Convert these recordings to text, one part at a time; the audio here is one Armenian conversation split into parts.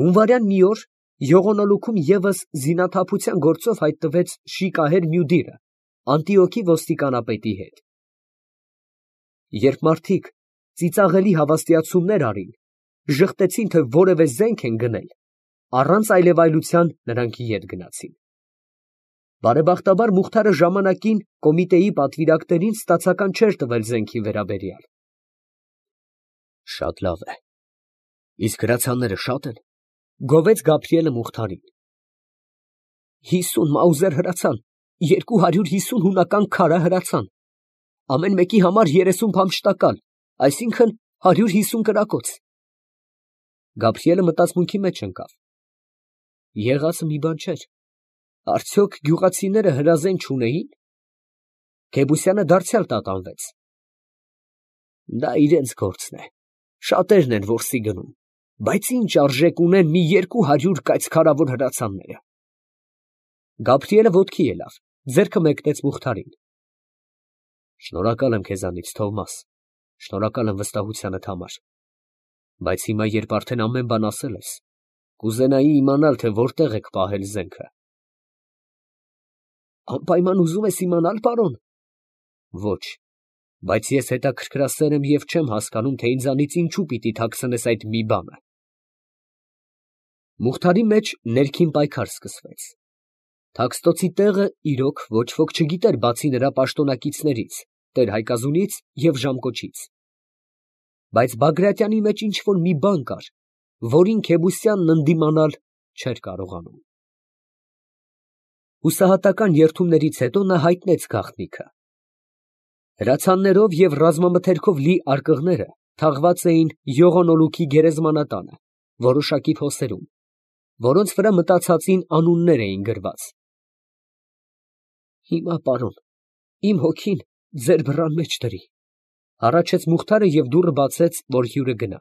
Հունվարյան մի օր Եղոնոլուքում ևս զինաթափության գործով հայտնվեց Շիկահեր Մյուդիրը Անտիոքի ոստիկանապետի հետ։ Երբ մարդիկ ծիծաղելի հավաստիացումներ արին, ժխտեցին, թե որևէ զենք են գնել, առանց այլևայլության նրանք ետ գնացին։ Բարեբախտաբար Մուխթարը ժամանակին կոմիտեի պատվիրակներին ստացական չէր տվել զենքի վերաբերյալ։ Շատ լավ է, իսկ հրացանները շատ են, գովեց Գաբրիելը Մուխթարին։ 50 մաուզեր հրացան, 250 հունական քարա հրացան, ամեն մեկի համար 30 փամփշտակալ, այսինքն 150 կրակոց։ Գաբրիելը մտածմունքի մեջ ընկավ։ Եղածը մի բան չէր, արդյոք գյուղացիները հրազեն չունեին։ Քեբուսյանը դարձյալ տատանվեց։ Դա իրենց գործն է, շատերն են որսի գնում, բայց ինչ արժեք ունեն մի 200 կայծքարավոր հրացանները։ Գաբրիելը ոտքի ելավ, ձեռքը մեկնեց Մուխթարին։ Շնորհակալ եմ քեզանից, Թովմաս, շնորհակալ եմ վստահությանդ համար, բայց հիմա, երբ արդեն ամեն բան ասել ես, կուզենայի իմանալ, թե որտեղ եք պահել զենքը։ Անպայման ուզում ես իմանալ, պարոն։ Ոչ, բայց ես հետաքրքրասեր եմ և չեմ հասկանում, թե ինձանից ինչու պիտի թաքցնես այդ մի բանը։ Մուխթարի մեջ ներքին պայքար սկսվեց։ Թաքստոցի տեղը իրոք ոչ ոք չգիտեր, բացի նրա պաշտոնակիցներից, տեր֊Հայկազունից և ժամկոչից։ Բայց Բագրատյանի մեջ ինչ֊որ մի բան կար, որին Քեբուսյանն ընդդիմանալ չէր կարողանում։ Հուսահատական երդումներից հետո նա հայտնեց գաղտնիքը։ Հրացաններով և ռազմամթերքով լի արկղները թաղված էին Եղոնոլուքի գերեզմանատանը, որոշակի փոսերում, որոնց վրա մտածածին անուններ էին գրված։ Հիմա, պարոն, իմ հոգին ձեր բռան մեջ դրի, հառաչեց Մուխթարը և դուռը բացեց, որ հյուրը գնա։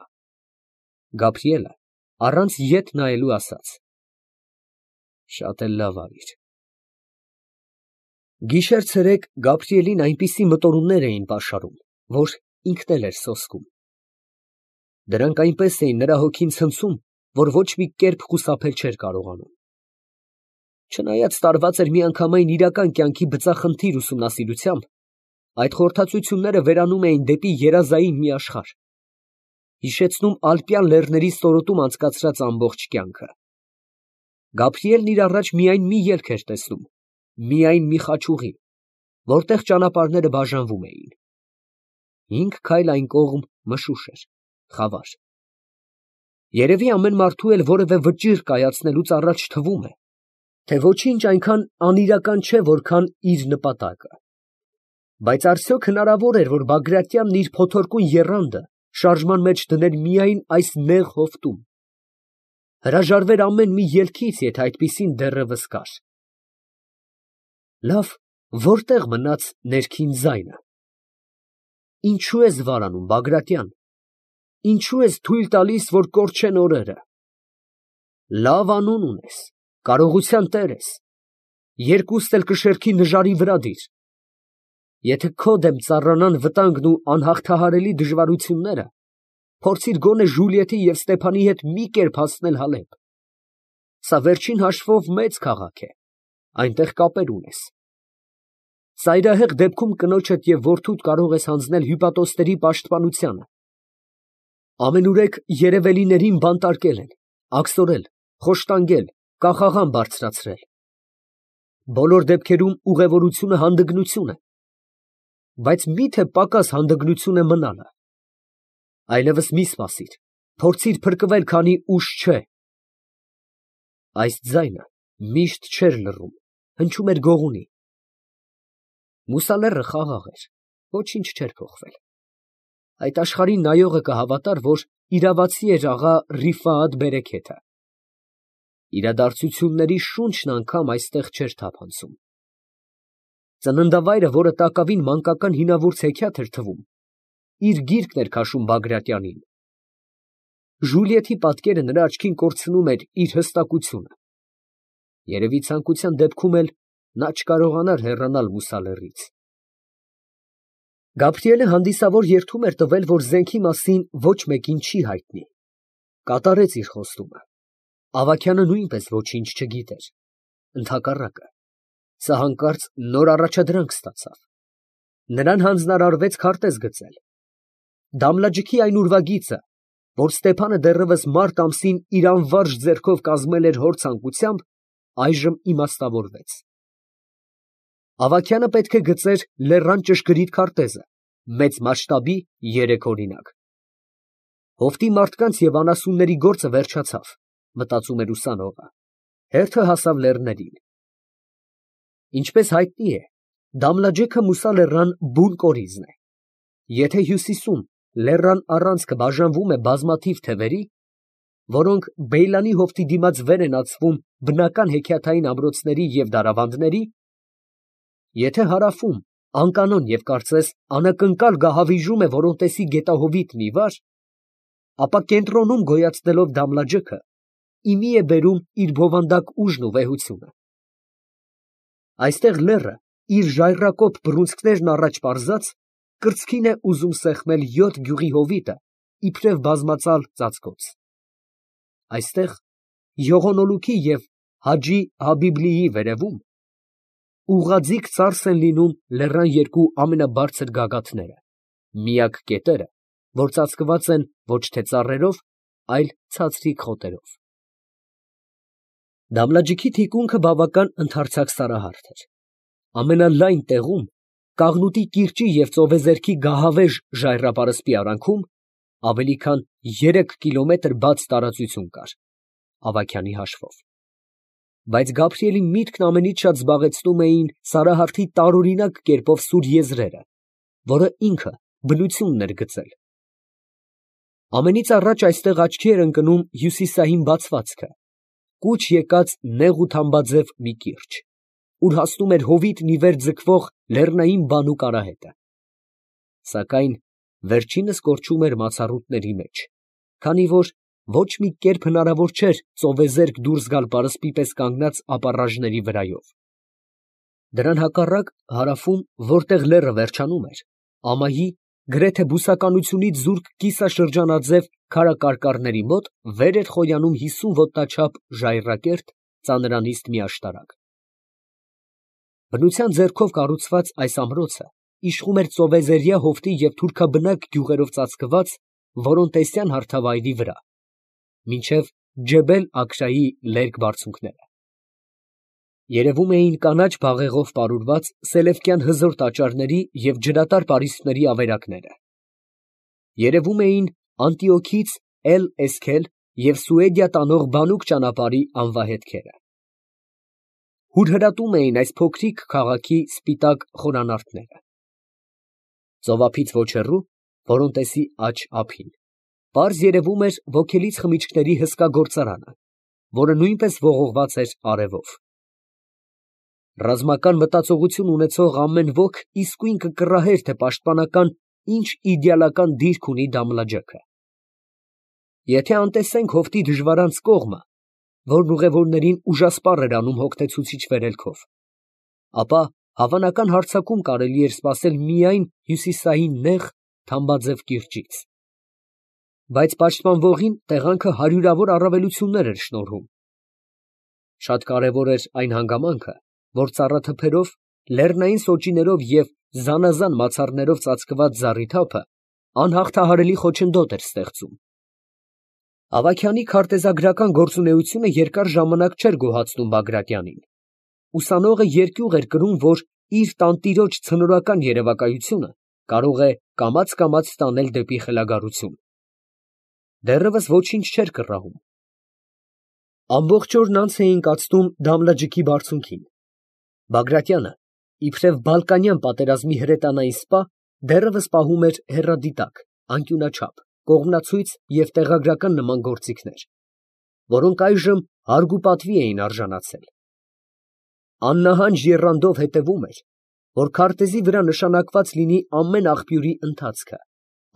Գաբրիելը առանց ետ նայելու ասաց. Շատ էլ լավ արիր։ Գիշեր֊ցերեկ Գաբրիելին այնպիսի մտորումներ էին պաշարում, որ ինքն էլ էր սոսկում։ Դրանք այնպես էին նրա հոգին ցնցում, որ ոչ մի կերպ խուսափել չէր կարողանում։ Չնայած տարված էր միանգամայն իրական կյանքի բծախնդիր ուսումնասիրությամբ, այդ խորհրդածությունները վերանում էին դեպի երազային մի աշխարհ, հիշեցնում ալպյան լեռների ստորոտում անցկացրած ամբողջ կյանքը։ Գաբրիելն իր առաջ միայն մի ելք էր տեսնում, միայն մի խաչուղի, որտեղ ճանապարհները բաժանվում էին։ 5 քայլ այն կողմ մշուշ էր, խավար։ Երևի ամեն մարդու էլ որևէ վճիռ կայացնելուց առաջ թվում է, թե ոչինչ այնքան անիրական չէ, որքան իր նպատակը։ Բայց արդյոք հնարավոր էր, որ Բագրատյանն իր փոթորկուն եռանդը շարժման մեջ դներ միայն այս նեղ հովտում, հրաժարվեր ամեն մի ելքից, եթե այդպիսին դեռևս կար։ Լավ, որտեղ մնաց ներքին ձայնը։ Ինչու ես վարանում, Բագրատյան, ինչու ես թույլ տալիս, որ կորչեն օրերը։ Լավ անուն ունես, կարողության տեր ես, երկուստ էլ կշեռքի նժարի վրա դիր։ Եթե քո դեմ ծառանան վտանգն ու անհաղթահարելի դժվարությունները, փորձիր գոնե Ժուլիետի և Ստեփանի հետ մի կերպ հասնել Հալեբ։ Սա վերջին հաշվով մեծ քաղաք է, այնտեղ կապեր ունես։ Ծայրահեղ դեպքում կնոջդ և որդուդ կարող ես հանձնել հյուպատոսների պաշտպանությանը։ Ամենուրեք երևելիներին բանտարկել են, աքսորել, խոշտանգել, կախաղան բարձրացրել։ Բոլոր դեպքերում ուղևորությունը հանդգնություն է, բայց մի՞թե պակաս հանդգնություն է մնալը։ Այլևս մի սպասիր, փորձիր փրկվել, քանի ուշ չէ։ Այս ձայնը միշտ չէր լռում, հնչում էր գողունի։ Մուսալեռը խաղաղ էր, ոչինչ չէր փոխվել։ Այդ աշխարհին նայողը կհավատար, որ իրավացի էր աղա Ռիֆաաթ Բերեքեթը։ Իրադարձությունների շունչն անգամ այստեղ չէր թափանցում։ Ծննդավայրը, որը տակավին մանկական հինավուրց հեքիաթ էր թվում, իր գիրկն էր քաշում Բագրատյանին։ Ժուլիետի պատկերը նրա աչքին կորցնում էր իր հստակությունը։ Երևի ցանկության դեպքում էլ նա չկարողանար հեռանալ Մուսալեռից։ Գաբրիելը հանդիսավոր երդում էր տվել, որ զենքի մասին ոչ մեկին չի հայտնի։ Կատարեց իր խոստումը։ Ավագյանը նույնպես ոչինչ չգիտեր, ընդհակառակը, սա հանկարծ նոր առաջադրանք ստացավ. նրան հանձնարարվեց քարտեզ գծել։ Դամլաջիքի այն ուրվագիծը, որ Ստեփանը դեռևս մարտ ամսին իր անվարժ ձեռքով կազմել էր հոր ցանկությամբ, այժմ իմաստավորվեց։ Ավագյանը պետք է գծեր լեռան ճշգրիտ քարտեզը, մեծ մասշտաբի 3 օրինակ։ Հովտի մարդկանց և անասունների գործը վերջացավ, մտածում էր ուսանողը, հերթը հասավ լեռներին։ Ինչպես հայտնի է, Դամլաջեքը Մուսա լեռան բուն կորիզն է։ Եթե հյուսիսում լեռան առանցքը բաժանվում է բազմաթիվ թևերի, որոնք Բեյլանի հովտի դիմաց վեր են ածվում բնական հեքիաթային ամրոցների և դարավանդների, եթե հարավում անկանոն և կարծես անակնկալ գահավիժում է Որոնտեսի գետահովիտ մի վար, ապա կենտրոնում գոյացնելով Դամլաջեքը իմի է բերում իր բովանդակ ուժն ու վեհությունը։ Այստեղ լեռը իր ժայռակոպ բռունցքներն առաջ պարզած կրծքին է ուզում սեղմել 7 գյուղի հովիտը իբրև բազմածալ ծածկոց։ Այստեղ Յողոնոլուքի և Հաջի Հաբիբլիի վերևում ուղղաձիգ ծարս են լինում լեռան երկու ամենաբարձր գագաթները, միակ կետերը, որ ծածկված են ոչ թե ծառերով, այլ ցածրիկ խոտերով։ Դամլաջիքի թիկունքը բավական ընդարձակ սարահարթ էր։ Ամենալայն տեղում, Կաղնուտի կիրճի և ծովեզերքի գահավեժ ժայռապարսպի արանքում, ավելի քան 3 կիլոմետր բաց տարածություն կար, Ավագյանի հաշվով։ Բայց Գաբրիելի միտքն ամենից շատ զբաղեցնում էին սարահարթի տարօրինակ կերպով սուր եզրերը, որը ինքը բնությունն էր գծել։ Ամենից առաջ այստեղ աչքի էր ընկնում հյուսիսային բացվածքը, կուչ եկած նեղ ու թամբաձև մի կիրճ, ուր հասնում էր հովիտն ի վեր ձգվող լեռնային բանուկ արահետը։ Սակայն վերջինս կորչում էր մացառուտների մեջ, քանի որ ոչ մի կերպ հնարավոր չէր ծովեզերք դուրս գալ պարսպի պես կանգնած ապառաժների վրայով։ Դրան հակառակ հարավում, որտեղ լեռը վերջանում էր, ամայի, գրեթե բուսականությունից զուրկ կիսաշրջանաձև քարակարկառների մոտ վեր էր խոյանում 50 ոտնաչափ ժայռակերտ ծանրանիստ մի աշտարակ։ Բնության ձեռքով կառուցված այս ամրոցը իշխում էր ծովեզերյա հովտի և թուրքաբնակ գյուղերով ծածկված Որոնտեսյան հարթավայրի վրա, մինչև Ջեբել Աքրայի լերկ բարձունքները։ Երևում էին կանաչ բաղեղով պարուրված սելևկյան հզոր տաճարների և ջրատար պարիսպների ավերակները։ Երևում էին Անտիոքից Էլ֊Էսքել և Սուեդիա տանող բանուկ ճանապարհի անվահետքերը։ Հուրհրատում էին այս փոքրիկ քաղաքի սպիտակ խորանարդները։ Ծովափից ոչ հեռու, Որոնտեսի աջ ափին, պարզ երևում էր ոգելից խմիչքների հսկա գործարանը, որը նույնպես ողողված էր արևով։ Ռազմական մտածողություն ունեցող ամեն ոք իսկույն կկռահեր, թե պաշտպանական ինչ իդեալական դիրք ունի Դամլաջեքը։ Եթե անտեսենք հովտի դժվարանց կողմը, որն ուղևորներին ուժասպառ էր անում հոգնեցուցիչ վերելքով, ապա հավանական հարձակում կարելի էր սպասել միայն հյուսիսային նեղ, թամբաձև կիրճից։ Բայց պաշտպանվողին տեղանքը հարյուրավոր առավելություններ էր շնորհում։ Շատ կարևոր էր այն հանգամանքը, որ ծառաթփերով, լեռնային սոճիներով և զանազան մացառներով ծածկված զառիթափը անհաղթահարելի խոչընդոտ էր ստեղծում։ Ավագյանի քարտեզագրական գործունեությունը երկար ժամանակ չէր գոհացնում Բագրատյանին։ Ուսանողը երկյուղ էր կրում, որ իր տանտիրոջ ցնորական երևակայությունը կարող է կամաց տանել դեպի խելագարություն։ Դեռևս ոչինչ չէր կռահում։ Ամբողջ օրն անց էին կացնում Դամլաջիքի բարձունքին։ Բագրատյանը, իբրև Բալկանյան պատերազմի հրետանային սպա, դեռևս պահում էր հեռադիտակ, անկյունաչափ, կողմնացույց և տեղագրական նման գործիքներ, որոնք այժմ հարգ ու պատվի էին արժանացել։ Աննահանջ եռանդով հետևում էր, որ քարտեզի վրա նշանակված լինի ամեն աղբյուրի ընթացքը,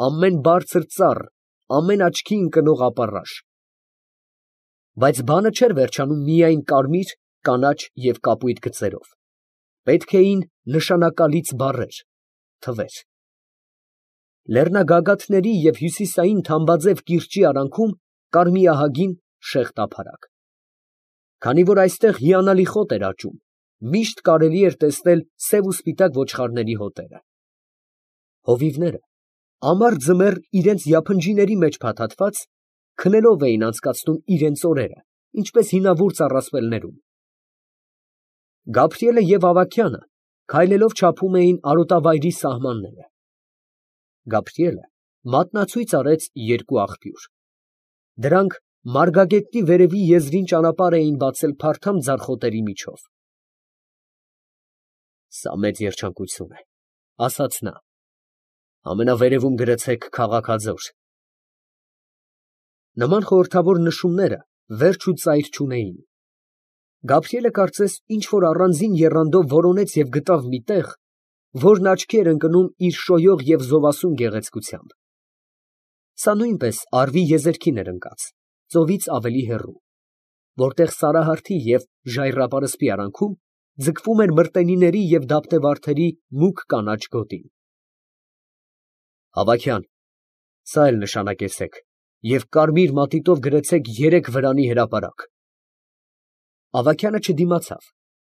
ամեն բարձր ծառ, ամեն աչքի ընկնող ապառաշ։ Բայց բանը չէր վերջանում միայն կարմիր, կանաչ և կապույտ գծերով. պետք էին նշանակալից բառեր, թվեր։ Լեռնագագաթների և հյուսիսային թամբաձև կիրճի արանքում կար մի ահագին շեղ տափարակ։ Քանի որ այստեղ հիանալի խոտ էր աճում, միշտ կարելի էր տեսնել սև ու սպիտակ ոչխարների հոտերը։ Հովիվները ամառ ձմեռ իրենց յափնջիների մեջ փաթաթված, քնելով էին անցկացնում իրենց օրերը, ինչպես հինավուրց առասպելներում։ Գաբրիելը և Ավագյանը քայլելով չափում էին արոտավայրի սահմանները։ Գաբրիելը մատնացույց արեց երկու աղբյուր։ Դրանք Մարգագետնի վերևի եզրին ճանապարհ էին բացել փարթամ ձարխոտերի միջով։ Սա մեծ երջանկություն է, ասաց նա։ Ամենավերևում գրեցեք քաղաքաձոր։ Նման խորհրդավոր նշումները վերջ ու ծայր չունեին։ Գաբրիելը կարծես ինչ որ առանձին եռանդով որոնեց և գտավ մի տեղ, որն աչքի էր ընկնում իր շոյող և զովասուն գեղեցկությամբ։ Սա նույնպես արվի եզերքին էր ընկած, ծովից ավելի հեռու, որտեղ սարահարթի և ժայռապարսպի արանքում ձգվում էր մրտենիների և դափնեվարդերի մուգ կանաչ գոտին։ Հավաքյան, սա էլ նշանակեցեք և կարմիր մատիտով գրեցեք 3 վրանի հրապարակ։ Ավագյանը չդիմացավ,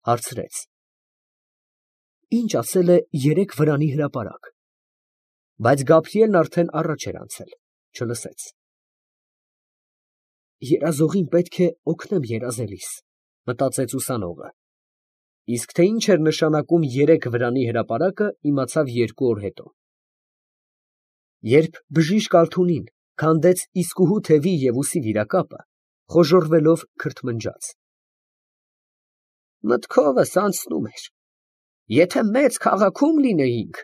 հարցրեց. Ինչ ասել է 3 վրանի հրապարակ։ Բայց Գաբրիելն արդեն առաջ էր անցել, չլսեց։ Երազողին պետք է օգնեմ երազելիս, մտածեց ուսանողը, իսկ թե ինչ էր նշանակում 3 վրանի հրապարակը, իմացավ 2 օր հետո։ Երբ բժիշկ Ալթունին քանդեց իսկուհու թևի և ուսի վիրակապը, խոժոռվելով քրթմնջաց. Մտքովս անցնում էր. եթե մեծ քաղաքում լինեինք,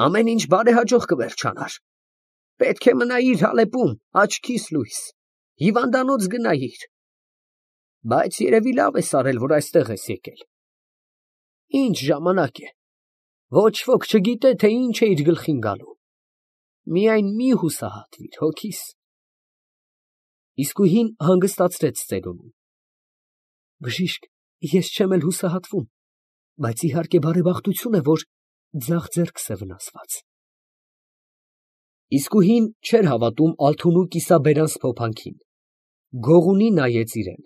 ամեն ինչ բարեհաջող կվերջանար, պետք է մնայիր Ալեպում, աչքիս լույս, հիվանդանոց գնայիր, բայց երևի լավ ես արել, որ այստեղ ես եկել։ Ինչ ժամանակ է, ոչ ոք չգիտե, թե ինչ է իր գլխին գալու, միայն մի հուսահատվիր հոգիս։ Իսկույն հանգստացրեց ծերունին։ Բժիշկ, ես չեմ էլ հուսահատվում, բայց իհարկե բարեբախտություն է, որ ձախ ձեռքս է վնասված։ Իսկույն չէր հավատում Ալթունու կիսաբերան սփոփանքին, գողունի նայեց իրան,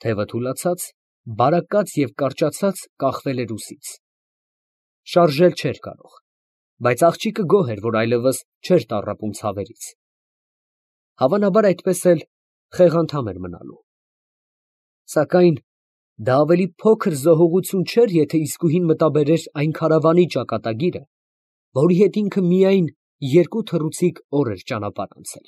թևը թուլացած, բարակած և կարճացած կախվել էր ուսից։ Շարժել չէր կարող, բայց աղջիկը գոհ էր, որ այլևս չէր տառապում ցավերից։ Հավանաբար այդպես էլ խեղանդամ էր մնալու։ Սակայն դա ավելի փոքր զոհողություն չէր, եթե իսկույն մտաբերեր այն քարավանի ճակատագիրը, որի հետ ինքը միայն 2 թռուցիկ օր էր ճանապարհ անցել։